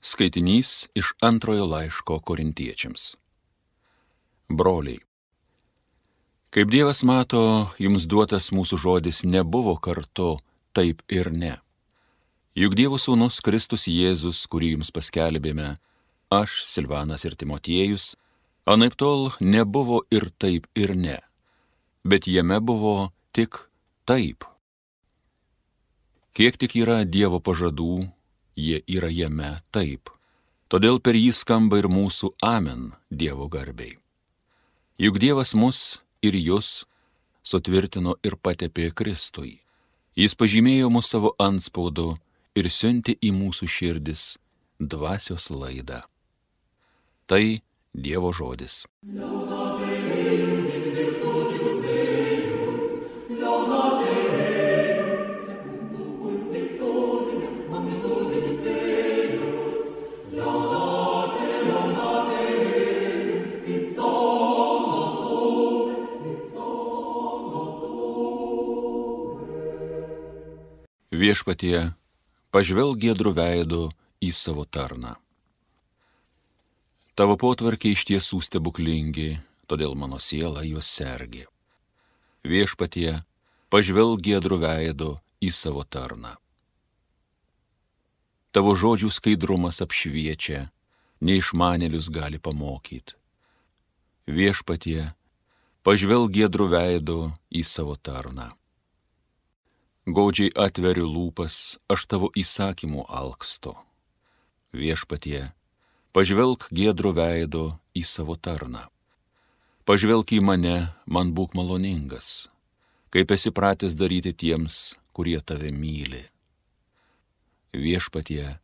Skaitinys iš antrojo laiško Korintiečiams. Broliai, kaip Dievas mato, jums duotas mūsų žodis nebuvo kartu taip ir ne. Juk Dievo sūnus Kristus Jėzus, kurį jums paskelbėme, aš, Silvanas ir Timotiejus, anaiptol nebuvo ir taip ir ne, bet jame buvo tik taip. Kiek tik yra Dievo pažadų, jie yra jame taip. Todėl per jį skamba ir mūsų amen Dievo garbei. Juk Dievas mus ir jus sutvirtino ir patepė Kristui. Jis pažymėjo mus savo antspaudu ir siuntė į mūsų širdis dvasios laidą. Tai Dievo žodis. Viešpatie, pažvelk giedru veidu į savo tarną. Tavo potvarkiai iš tiesų stebuklingi, todėl mano siela juos sergi. Viešpatie, pažvelk giedru veidu į savo tarną. Tavo žodžių skaidrumas apšviečia, neišmanėlius gali pamokyti. Viešpatie, pažvelk giedru veidu į savo tarną. Gaudžiai atveriu lūpas, aš tavo įsakymų alksto. Viešpatie, pažvelk giedru veidu į savo tarną. Pažvelk į mane, man būk maloningas, kaip esi pratęs daryti tiems, kurie tave myli. Viešpatie,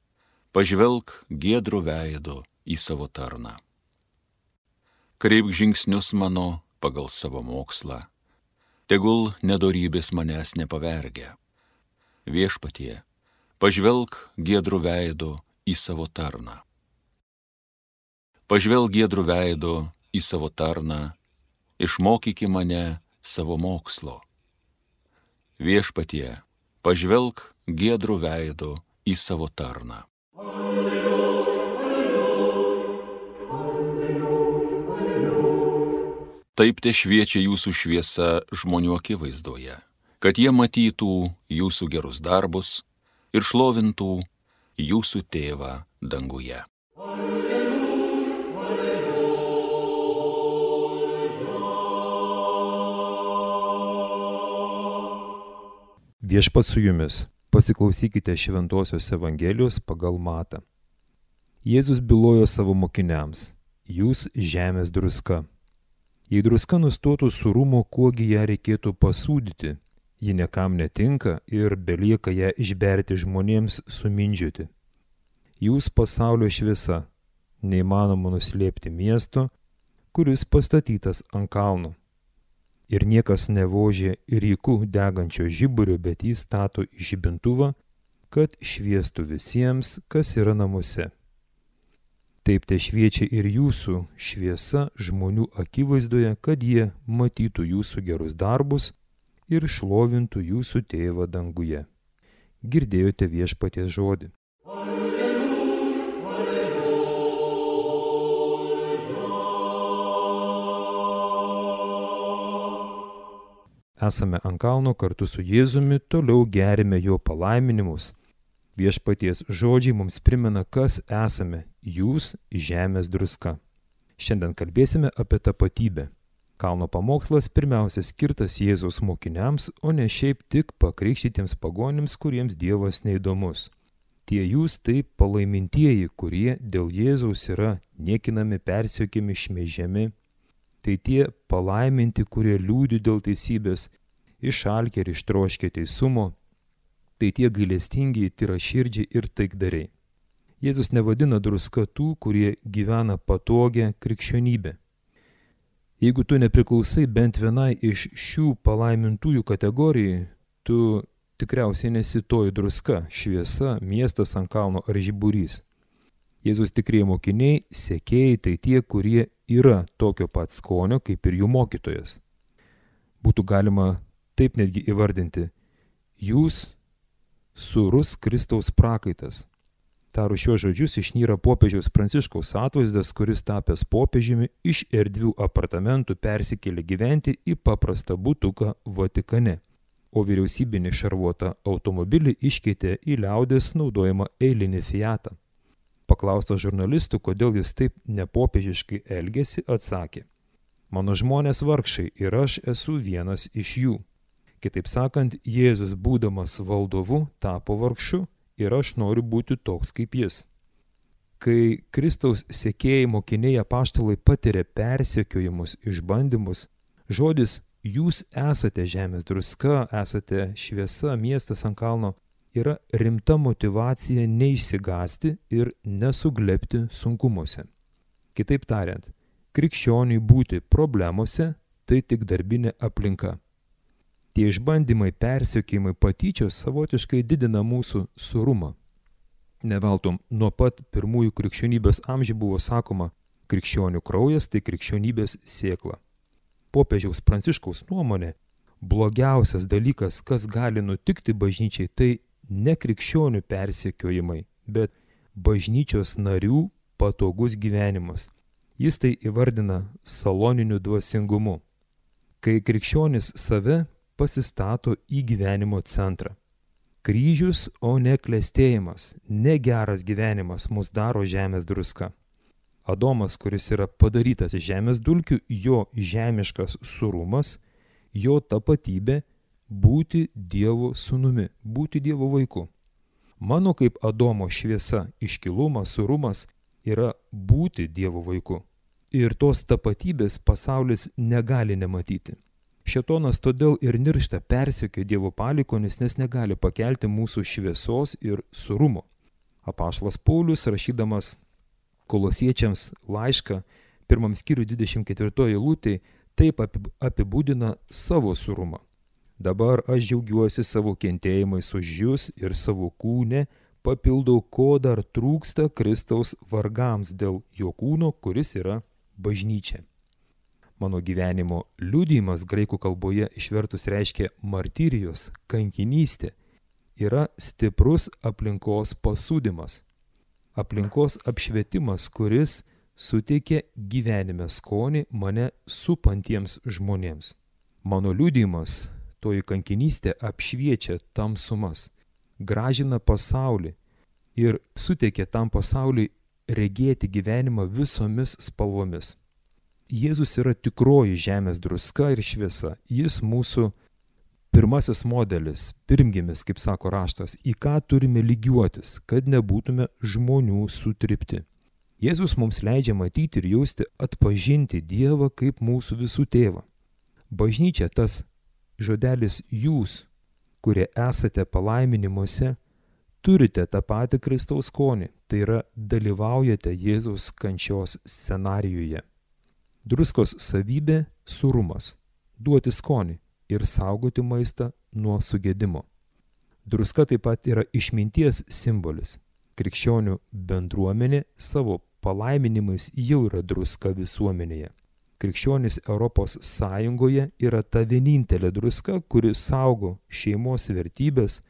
pažvelk giedru veidu į savo tarną. Kreipk žingsnius mano pagal savo mokslą. Tegul nedorybės manęs nepavergia. Viešpatie, pažvelk giedru veidu į savo tarną. Pažvelk giedru veidu į savo tarną, išmokyki mane savo mokslo. Viešpatie, pažvelk giedru veidu į savo tarną. Taip te šviečia jūsų šviesa žmonių akivaizdoje, kad jie matytų jūsų gerus darbus ir šlovintų jūsų tėvą danguje. Viešpats su jumis, pasiklausykite Šventosios Evangelijos pagal Matą. Jėzus bylojo savo mokiniams, jūs žemės druska. Jei druska nustotų surumo, kuogi ją reikėtų pasūdyti, ji niekam netinka ir belieka ją išberti žmonėms sumindžioti. Jūs pasaulio šviesa, neįmanoma nuslėpti miesto, kuris pastatytas ant kalno. Ir niekas nevožė ryku degančio žiburio, bet jį stato į žibintuvą, kad šviestų visiems, kas yra namuose. Taip te šviečia ir jūsų šviesa žmonių akivaizdoje, kad jie matytų jūsų gerus darbus ir šlovintų jūsų tėvą danguje. Girdėjote Viešpaties žodį. Esame ant kalno kartu su Jėzumi, toliau gerime jo palaiminimus. Viešpaties žodžiai mums primena, kas esame, jūs žemės druska. Šiandien kalbėsime apie tapatybę. Kalno pamokslas pirmiausia skirtas Jėzaus mokiniams, o ne šiaip tik pakrikštytiems pagonims, kuriems Dievas neįdomus. Tie jūs tai palaimintieji, kurie dėl Jėzaus yra niekinami, persekiojami, šmeižiami. Tai tie palaiminti, kurie liūdi dėl teisybės, išalkę ir ištroškę teisumo. Tai tie gailestingi, tyraširdžiai ir taikdariai. Jėzus nevadina druska tų, kurie gyvena patogią krikščionybę. Jeigu tu nepriklausai bent vienai iš šių palaimintųjų kategorijų, tu tikriausiai nesi toji druska, šviesa, miestas ant kalno ar žiburys. Jėzus tikrieji mokiniai, sekėjai, tai tie, kurie yra tokio pat skonio kaip ir jų mokytojas. Būtų galima taip netgi įvardinti, jūs sūrus Kristaus prakaitas. Tarus šios žodžius išnyra popiežiaus Pranciškaus atvaizdas, kuris tapęs popiežiumi iš erdvių apartamentų persikėlė gyventi į paprastą butuką Vatikane, o vyriausybinį šarvuotą automobilį iškeitė į liaudies naudojamą eilinį Fiatą. Paklaustas žurnalistų, kodėl jis taip nepopiežiškai elgėsi, atsakė: "Mano žmonės vargšai ir aš esu vienas iš jų." Kitaip sakant, Jėzus būdamas valdovu tapo vargšu ir aš noriu būti toks kaip jis. Kai Kristaus sekėjai mokiniai apaštalai patiria persekiojimus, išbandymus, žodis "jūs esate žemės druska, esate šviesa, miestas ant kalno" yra rimta motyvacija neišsigąsti ir nesuglebti sunkumuose. Kitaip tariant, krikščioniui būti problemose tai tik darbinė aplinka. Tie išbandymai, persekiojimai, patyčios savotiškai didina mūsų surumą. Neveltum, nuo pat pirmųjų krikščionybės amžių buvo sakoma, krikščionių kraujas tai krikščionybės sėkla. Popiežiaus Pranciškaus nuomonė, blogiausias dalykas, kas gali nutikti bažnyčiai, tai ne krikščionių persekiojimai, bet bažnyčios narių patogus gyvenimas. Jis tai įvardina saloniniu dvasingumu. Kai krikščionis save pasistato į gyvenimo centrą. Kryžius, o ne klestėjimas, negeras gyvenimas mus daro žemės druska. Adomas, kuris yra padarytas iš žemės dulkių, jo žemiškas surumas, jo tapatybė būti Dievo sūnumi, būti Dievo vaiku. Mano kaip Adomo šviesa, iškilumas, surumas yra būti Dievo vaiku. Ir tos tapatybės pasaulis negali nematyti. Šėtonas todėl ir niršta, persekioja Dievo palikuonis, nes negali pakelti mūsų šviesos ir surumo. Apaštalas Paulius, rašydamas Kolosiečiams laišką, 1 skyrių 24 eilutėj, taip apibūdina savo surumą. Dabar aš džiaugiuosi savo kentėjimais už jus ir savo kūne papildau, ko dar trūksta Kristaus vargams dėl jo kūno, kuris yra bažnyčia. Mano gyvenimo liudijimas graikų kalboje išvertus reiškia martyrijos, kankinystė, yra stiprus aplinkos pasūdymas. Aplinkos apšvietimas, kuris suteikia gyvenime skonį mane supantiems žmonėms. Mano liudijimas, toji kankinystė apšviečia tamsumas, gražina pasaulį ir suteikia tam pasauliui regėti gyvenimą visomis spalvomis. Jėzus yra tikroji žemės druska ir šviesa. Jis mūsų pirmasis modelis, pirmgimis, kaip sako raštas, į ką turime lygiuotis, kad nebūtume žmonių sutrypti. Jėzus mums leidžia matyti ir jausti, atpažinti Dievą kaip mūsų visų tėvą. Bažnyčia, tas žodelis jūs, kurie esate palaiminimuose, turite tą patį Kristaus skonį, tai yra dalyvaujate Jėzaus kančios scenarijuje. Druskos savybė – surumas, duoti skonį ir saugoti maistą nuo sugedimo. Druska taip pat yra išminties simbolis. Krikščionių bendruomenė savo palaiminimais jau yra druska visuomenėje. Krikščionys Europos Sąjungoje yra ta vienintelė druska, kuri saugo šeimos vertybės,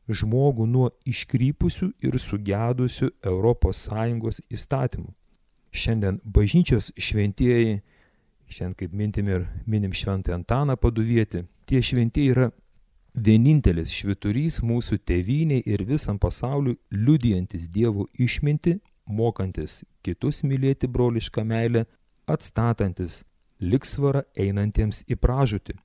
žmogų nuo iškrypusių ir sugedusių Europos Sąjungos įstatymų. Šiandien bažnyčios šventieji, šiandien kaip minim Šventąjį Antaną Paduvietį, tie šventieji yra vienintelis švyturys mūsų tėvynei ir visam pasauliu liudijantis Dievo išmintį, mokantis kitus mylėti brolišką meilę, atstatantis lygsvarą einantiems į pražūtį.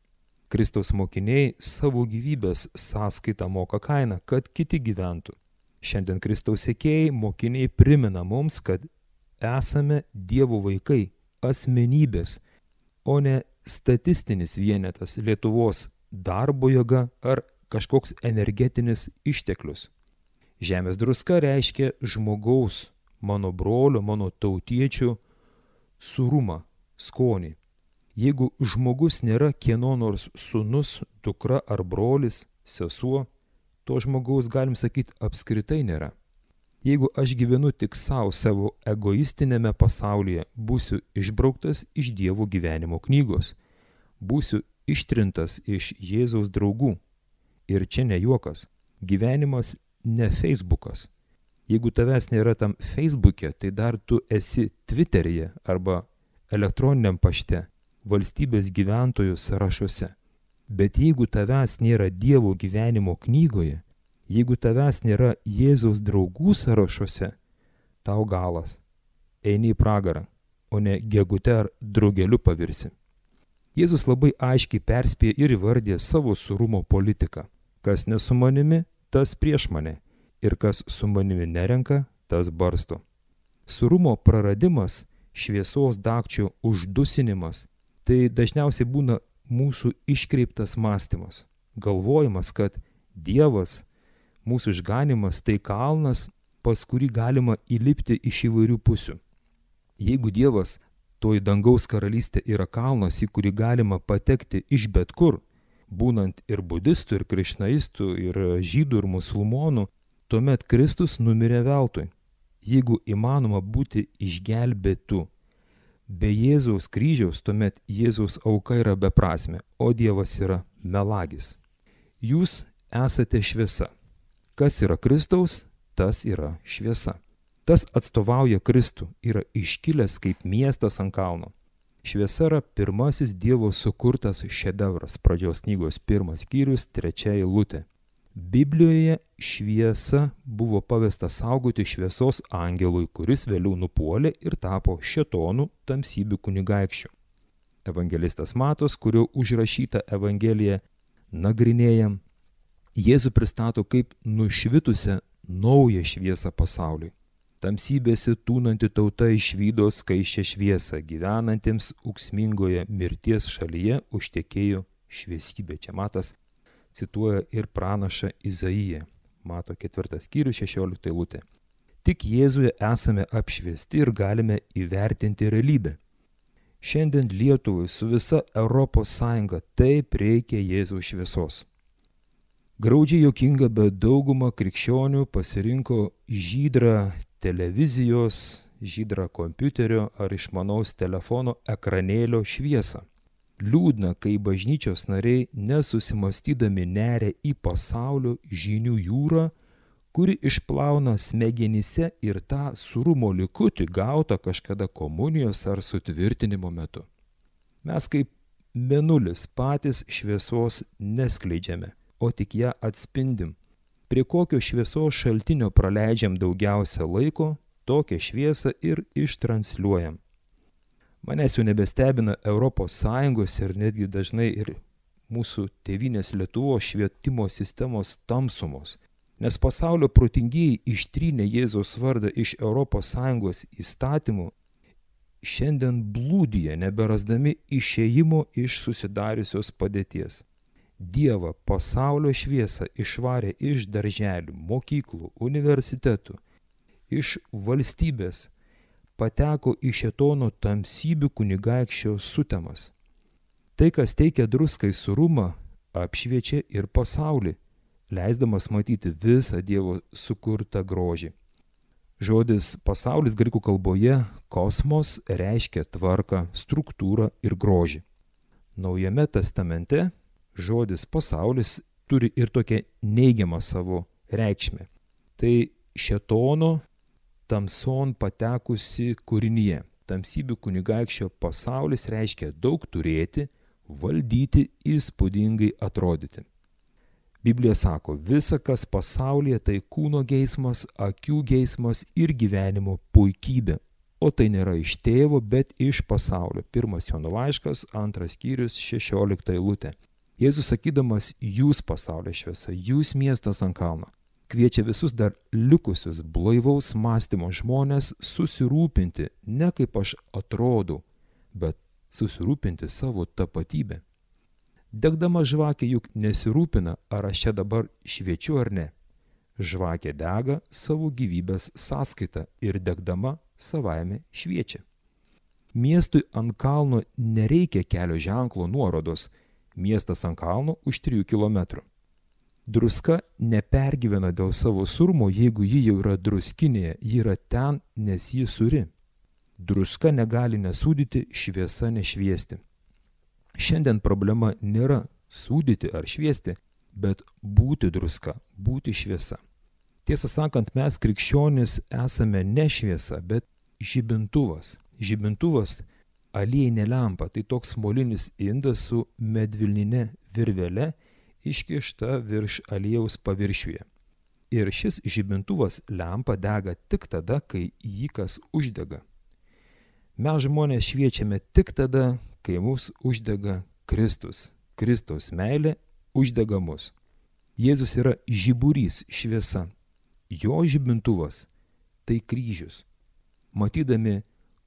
Kristaus mokiniai savo gyvybės sąskaitą moka kainą, kad kiti gyventų. Šiandien Kristaus sekėjai mokiniai primena mums, kad esame Dievo vaikai, asmenybės, o ne statistinis vienetas Lietuvos darbo jėga ar kažkoks energetinis išteklius. Žemės druska reiškia žmogaus, mano brolio, mano tautiečių surumą, skonį. Jeigu žmogus nėra kieno nors sūnus, dukra ar brolis, sesuo, to žmogaus, galim sakyti, apskritai nėra. Jeigu aš gyvenu tik savo egoistinėme pasaulyje, būsiu išbrauktas iš Dievo gyvenimo knygos, būsiu ištrintas iš Jėzaus draugų. Ir čia ne juokas, gyvenimas ne Facebookas. Jeigu tavęs nėra tam Facebook'e, tai dar tu esi Twitter'yje arba elektroniniam pašte, valstybės gyventojų sąrašuose. Bet jeigu tavęs nėra Dievo gyvenimo knygoje, jeigu tavęs nėra Jėzaus draugų sąrašuose, tau galas. Eini į pragarą, o ne gegute ar drugeliu pavirsi. Jėzus labai aiškiai perspėja ir įvardė savo sūrumo politiką. Kas ne su manimi, tas prieš mane, ir kas su manimi nerenka, tas barsto. Sūrumo praradimas, šviesos dagčio uždusinimas, tai dažniausiai būna mūsų iškreiptas mąstymas, galvojimas, kad Dievas, mūsų išganimas tai kalnas, pas kurį galima įlipti iš įvairių pusių. Jeigu Dievas, toji dangaus karalystė, yra kalnas, į kurį galima patekti iš bet kur, būnant ir budistų, ir krišnaistų, ir žydų, ir musulmonų, tuomet Kristus numirė veltui. Jeigu įmanoma būti išgelbėtų be Jėzaus kryžiaus, tuomet Jėzaus auka yra beprasmė, o Dievas yra melagis. Jūs esate šviesa. Kas yra Kristaus, tas yra šviesa. Tas atstovauja Kristų, yra iškilęs kaip miestas ant kalno. Šviesa yra pirmasis Dievo sukurtas šedevras, pradžios knygos 1 skyrius 3 eilutė. Biblijoje šviesa buvo pavesta saugoti šviesos angelui, kuris vėliau nupuolė ir tapo šėtonų tamsybių kunigaikščiu. Evangelistas Matas, kurio užrašyta Evangelija nagrinėjam, Jėzų pristato kaip nušvitusią naują šviesą pasauliui. Tamsybėse tūnanti tauta išvydo skaisčią šviesą, gyvenantiems ūksmingoje mirties šalyje užtekėjo šviesybė. Čia Matas cituoja ir pranašą Izaiją, Mato 4 skyrius 16 eilutė. Tik Jėzuje esame apšviesti ir galime įvertinti realybę. Šiandien Lietuvai su visa ES taip reikia Jėzaus šviesos. Graudžiai juokinga, bet dauguma krikščionių pasirinko žydrą televizijos, žydrą kompiuterio ar išmanaus telefono ekranėlio šviesą. Liūdna, kai bažnyčios nariai nesusimastydami neria į pasaulio žinių jūrą, kuri išplauna smegenyse ir tą sūrumo likutį gautą kažkada komunijos ar sutvirtinimo metu. Mes kaip mėnulis patys šviesos neskleidžiame, o tik ją atspindim. Prie kokio šviesos šaltinio praleidžiam daugiausia laiko, tokią šviesą ir ištransliuojam. Manęs jau nebestebina ES ir netgi dažnai ir mūsų tėvynės Lietuvos švietimo sistemos tamsumos, nes pasaulio protingieji ištrynė Jėzaus vardą iš ES įstatymų, šiandien blūdija, neberasdami išėjimo iš susidariusios padėties. Dievą, pasaulio šviesą išvarė iš darželių, mokyklų, universitetų, iš valstybės, pateko į šėtono tamsybių kunigaikščio sutemas. Tai, kas teikia druskai sūrumą, apšviečia ir pasaulį, leisdamas matyti visą Dievo sukurtą grožį. Žodis pasaulis graikų kalboje kosmos reiškia tvarką, struktūrą ir grožį. Naujame testamente žodis pasaulis turi ir tokią neigiamą savo reikšmę. Tai šėtono tamson patekusi kūrinyje. Tamsybių kunigaikščio pasaulis reiškia daug turėti, valdyti, įspūdingai atrodyti. Biblija sako, visa, kas pasaulyje, tai kūno geismas, akių geismas ir gyvenimo puikybė. O tai nėra iš tėvo, bet iš pasaulio. 1 Jono laiškas, 2 skyrius, 16 eilutė. Jėzus sakydamas, jūs pasaulio šviesa, jūs miestas ant kalno, kviečia visus dar likusius blaivaus mąstymo žmonės susirūpinti, ne kaip aš atrodau, bet susirūpinti savo tapatybę. Degdama žvakė juk nesirūpina, ar aš čia dabar šviečiu ar ne. Žvakė dega savo gyvybės sąskaita ir degdama savaime šviečia. Miestui ant kalno nereikia kelio ženklo nuorodos, miestas ant kalno už 3 kilometrų. Druska nepergyvena dėl savo sūrumo, jeigu ji jau yra druskinėje, ji yra ten, nes ji sūri. Druska negali nesūdyti, šviesa nešviesti. Šiandien problema nėra sūdyti ar šviesti, bet būti druska, būti šviesa. Tiesą sakant, mes krikščionys esame ne šviesa, bet žibintuvas. Žibintuvas aliejinė lempa, tai toks molinis indas su medvilnine virvele iškišta virš aliejaus paviršiuje. Ir šis žibintuvas lempa dega tik tada, kai jį kas uždega. Mes žmonės šviečiame tik tada, kai mus uždega Kristus. Kristaus meilė uždega mus. Jėzus yra žiburys, šviesa. Jo žibintuvas tai kryžius. Matydami,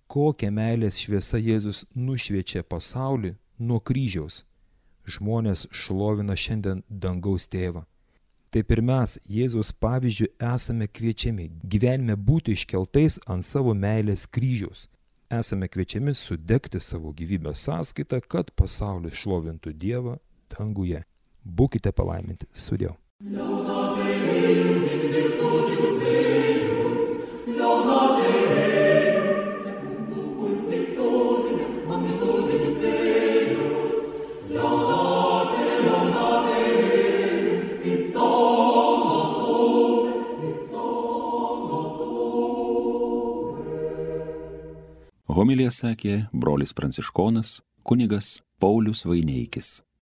kokią meilės šviesą Jėzus nušviečia pasaulį nuo kryžiaus, žmonės šlovina šiandien dangaus tėvą. Taip ir mes, Jėzaus pavyzdžiu, esame kviečiami gyvenime būti iškeltais ant savo meilės kryžiaus. Esame kviečiami sudegti savo gyvybės sąskaitą, kad pasaulis šlovintų Dievą danguje. Būkite palaiminti. Sudiev. Homiliją sakė brolis pranciškonas kunigas Paulius Vaineikis.